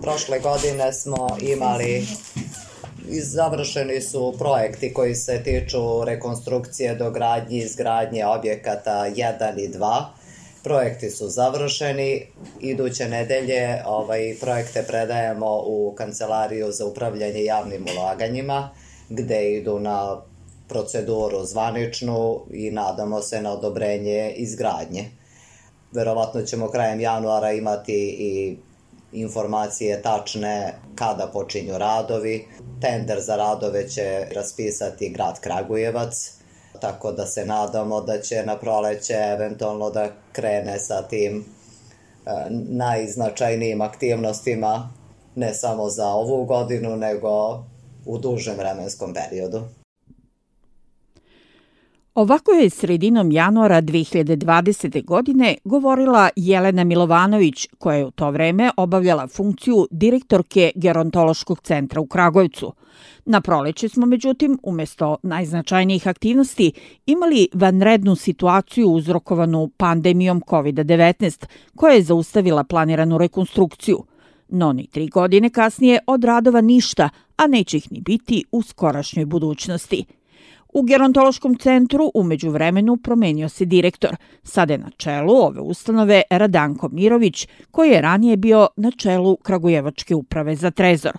Prošle godine smo imali završeni su projekti koji se tiču rekonstrukcije, dogradnje, izgradnje objekata 1 i 2. Projekti su završeni. Iduće nedelje projekte predajemo u Kancelariju za upravljanje javnim ulaganjima, gde idu na proceduru zvaničnu i nadamo se na odobrenje izgradnje. Verovatno ćemo krajem januara imati i informacije tačne kada počinju radovi. Tender za radove će raspisati grad Kragujevac, tako da se nadamo da će na proleće eventualno da krene sa tim najznačajnijim aktivnostima, ne samo za ovu godinu, nego u dužem vremenskom periodu. Ovako je sredinom januara 2020. godine govorila Jelena Milovanović, koja je u to vreme obavljala funkciju direktorke Gerontološkog centra u Kragujevcu. Na proleće smo, međutim, umjesto najznačajnijih aktivnosti imali vanrednu situaciju uzrokovanu pandemijom COVID-19, koja je zaustavila planiranu rekonstrukciju. No ni 3 godine kasnije od radova ništa, a neće ih ni biti u skorašnjoj budućnosti. U Gerontološkom centru u međuvremenu promenio se direktor. Sada je na čelu ove ustanove Radanko Mirović, koji je ranije bio na čelu Kragujevačke uprave za trezor.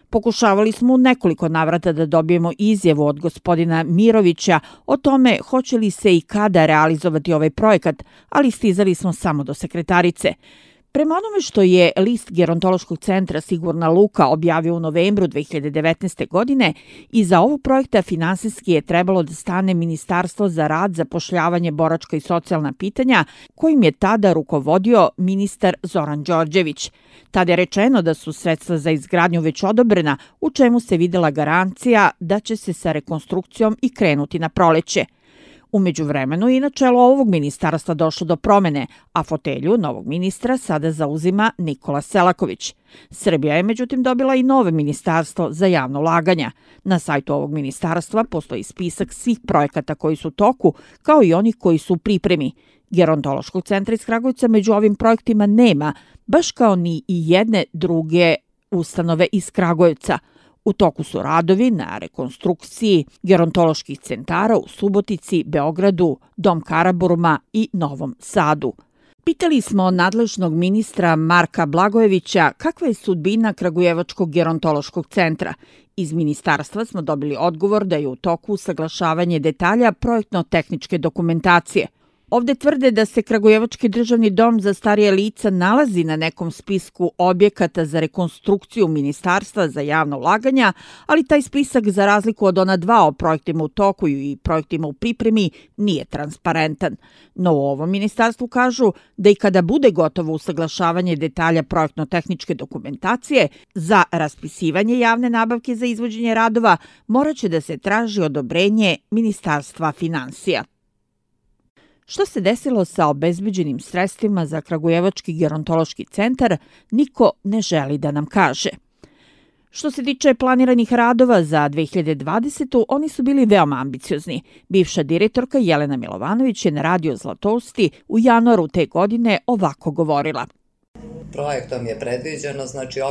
Pokušavali smo u nekoliko navrata da dobijemo izjavu od gospodina Mirovića o tome hoće li se i kada realizovati ovaj projekat, ali stizali smo samo do sekretarice. Prema onome što je list Gerontološkog centra Sigurna Luka objavio u novembru 2019. godine, iza ovog projekta finansijski je trebalo da stane Ministarstvo za rad, zapošljavanje, boračka i socijalna pitanja, kojim je tada rukovodio ministar Zoran Đorđević. Tada je rečeno da su sredstva za izgradnju već odobrena, u čemu se videla garancija da će se sa rekonstrukcijom i krenuti na proleće. U međuvremenu i na čelo ovog ministarstva došlo do promene, a fotelju novog ministra sada zauzima Nikola Selaković. Srbija je međutim dobila i novo ministarstvo za javno ulaganja. Na sajtu ovog ministarstva postoji spisak svih projekata koji su u toku, kao i onih koji su u pripremi. Gerontološkog centra iz Kragujevca među ovim projektima nema, baš kao ni i jedne druge ustanove iz Kragujevca. U toku su radovi na rekonstrukciji gerontoloških centara u Subotici, Beogradu, Dom Karaburma i Novom Sadu. Pitali smo nadležnog ministra Marka Blagojevića kakva je sudbina Kragujevačkog gerontološkog centra. Iz ministarstva smo dobili odgovor da je u toku usaglašavanje detalja projektno-tehničke dokumentacije. Ovde tvrde da se Kragujevački državni dom za starije lica nalazi na nekom spisku objekata za rekonstrukciju Ministarstva za javno ulaganja, ali taj spisak, za razliku od ona 2 o projektima u toku i projektima u pripremi, nije transparentan. No u ovom ministarstvu kažu da i kada bude gotovo usaglašavanje detalja projektno-tehničke dokumentacije, za raspisivanje javne nabavke za izvođenje radova moraće da se traži odobrenje Ministarstva finansija. Što se desilo sa obezbeđenim sredstvima za Kragujevački gerontološki centar, niko ne želi da nam kaže. Što se tiče planiranih radova za 2020. oni su bili veoma ambiciozni. Bivša direktorka Jelena Milovanović je na Radio Zlatousti u januaru te godine ovako govorila. Projektom je predviđeno,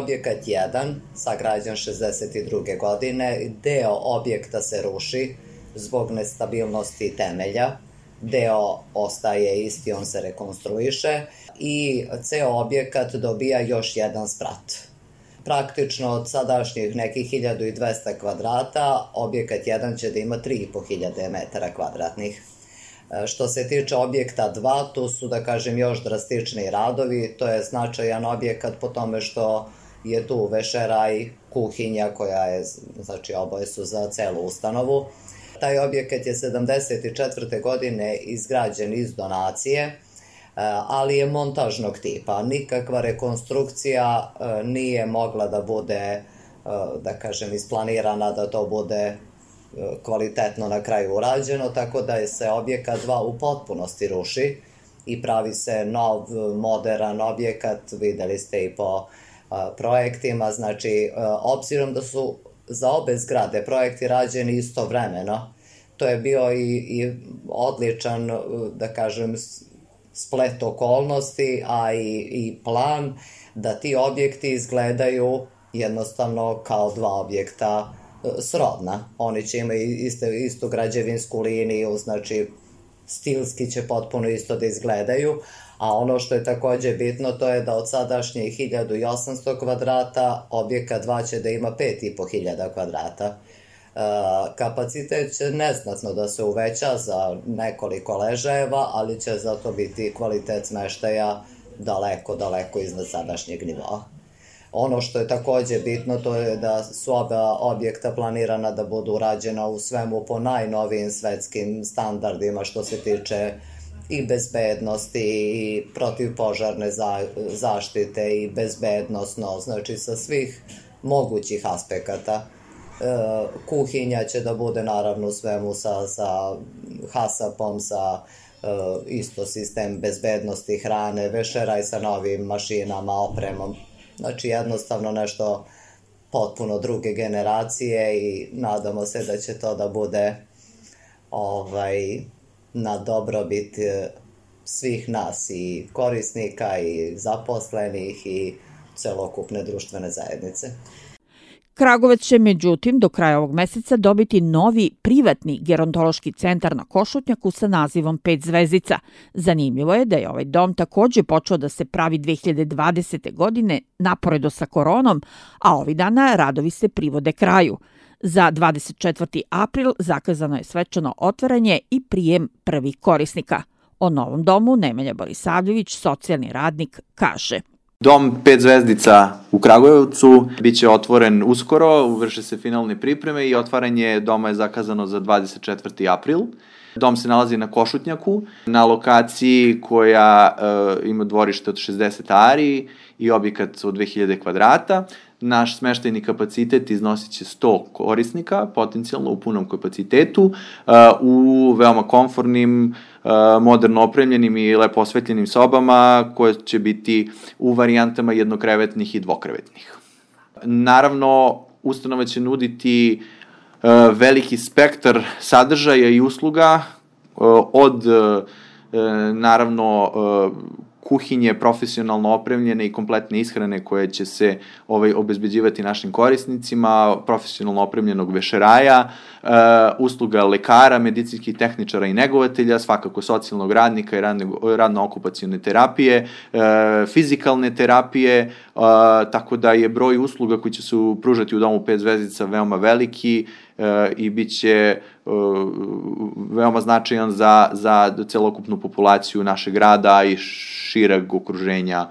objekat 1, sagrađen 62. godine, deo objekta se ruši zbog nestabilnosti temelja. Deo ostaje isti, on se rekonstruiše i ceo objekat dobija još jedan sprat. Praktično od sadašnjih nekih 1200 kvadrata, objekat 1 će da ima 3500 metara kvadratnih. Što se tiče objekta 2, tu su, još drastični radovi. To je značajan objekat po tome što je tu vešeraj, kuhinja koja je, oboje su za celu ustanovu. Taj objekat je 74. godine izgrađen iz donacije, ali je montažnog tipa. Nikakva rekonstrukcija nije mogla da bude, isplanirana da to bude kvalitetno na kraju urađeno, tako da se objekat 2 u potpunosti ruši i pravi se nov, moderan objekat, videli ste i po projektima. Obzirom da su za obe zgrade projekti rađeni istovremeno, to je bio i odličan, splet okolnosti, a i plan. da ti objekti izgledaju jednostavno kao dva objekta srodna. Oni će imati istu građevinsku liniju, znači stilski će potpuno isto da izgledaju, a ono što je takođe bitno to je da od sadašnjih 1800 kvadrata objekat 2 će da ima 5500 kvadrata. Kapacitet će neznatno da se uveća za nekoliko ležajeva, ali će zato biti kvalitet smeštaja daleko iznad sadašnjeg nivoa. Ono što je takođe bitno to je da su oba objekta planirana da budu urađena u svemu po najnovijim svetskim standardima što se tiče i bezbednosti i protivpožarne zaštite i bezbednosno, znači sa svih mogućih aspekata. Kuhinja će da bude naravno u svemu sa HASAP-om, sa isto sistem bezbednosti hrane, vešeraj sa novim mašinama, opremom. Znači jednostavno nešto potpuno druge generacije i nadamo se da će to da bude na dobrobit svih nas i korisnika i zaposlenih i celokupne društvene zajednice. Kragujevac će međutim do kraja ovog meseca dobiti novi privatni gerontološki centar na Košutnjaku sa nazivom 5 zvezdica. Zanimljivo je da je ovaj dom takođe počeo da se pravi 2020. godine naporedo sa koronom, a ovih dana radovi se privode kraju. Za 24. april zakazano je svečano otvaranje i prijem prvih korisnika. O novom domu Nemanja Borisavljević, socijalni radnik, kaže: Dom 5 zvezdica u Kragujevcu biće otvoren uskoro, vrše se finalne pripreme i otvaranje doma je zakazano za 24. april. Dom se nalazi na Košutnjaku, na lokaciji koja ima dvorište od 60 ari i objekat od 2000 kvadrata. Naš smeštajni kapacitet iznosit će 100 korisnika, potencijalno u punom kapacitetu, u veoma komfornim, moderno opremljenim i lepo osvetljenim sobama koje će biti u varijantama jednokrevetnih i dvokrevetnih. Naravno, ustanova će nuditi veliki spektar sadržaja i usluga od naravno kuhinje profesionalno opremljene i kompletne ishrane koje će se obezbeđivati našim korisnicima, profesionalno opremljenog vešeraja, usluga lekara, medicinskih tehničara i negovatelja, svakako socijalnog radnika i radno-okupacione terapije, fizikalne terapije, tako da je broj usluga koji će se pružati u domu 5 zvezdica veoma veliki i bit će veoma značajan za celokupnu populaciju našeg grada i šireg okruženja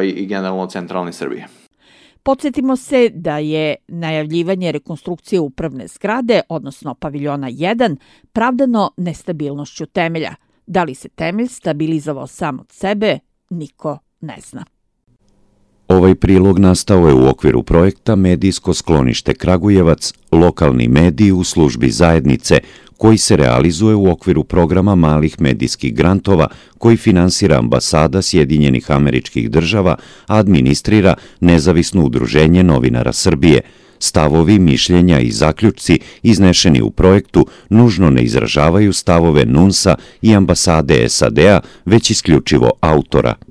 i generalno centralne Srbije. Podsjetimo se da je najavljivanje rekonstrukcije upravne zgrade, odnosno paviljona 1, pravdano nestabilnošću temelja. Da li se temelj stabilizovao sam od sebe, niko ne zna. Ovaj prilog nastao je u okviru projekta Medijsko sklonište Kragujevac, lokalni mediji u službi zajednice, koji se realizuje u okviru programa malih medijskih grantova koji finansira Ambasada Sjedinjenih Američkih Država, a administrira Nezavisno udruženje novinara Srbije. Stavovi, mišljenja i zaključci iznešeni u projektu nužno ne izražavaju stavove NUNS-a i Ambasade SAD-a, već isključivo autora.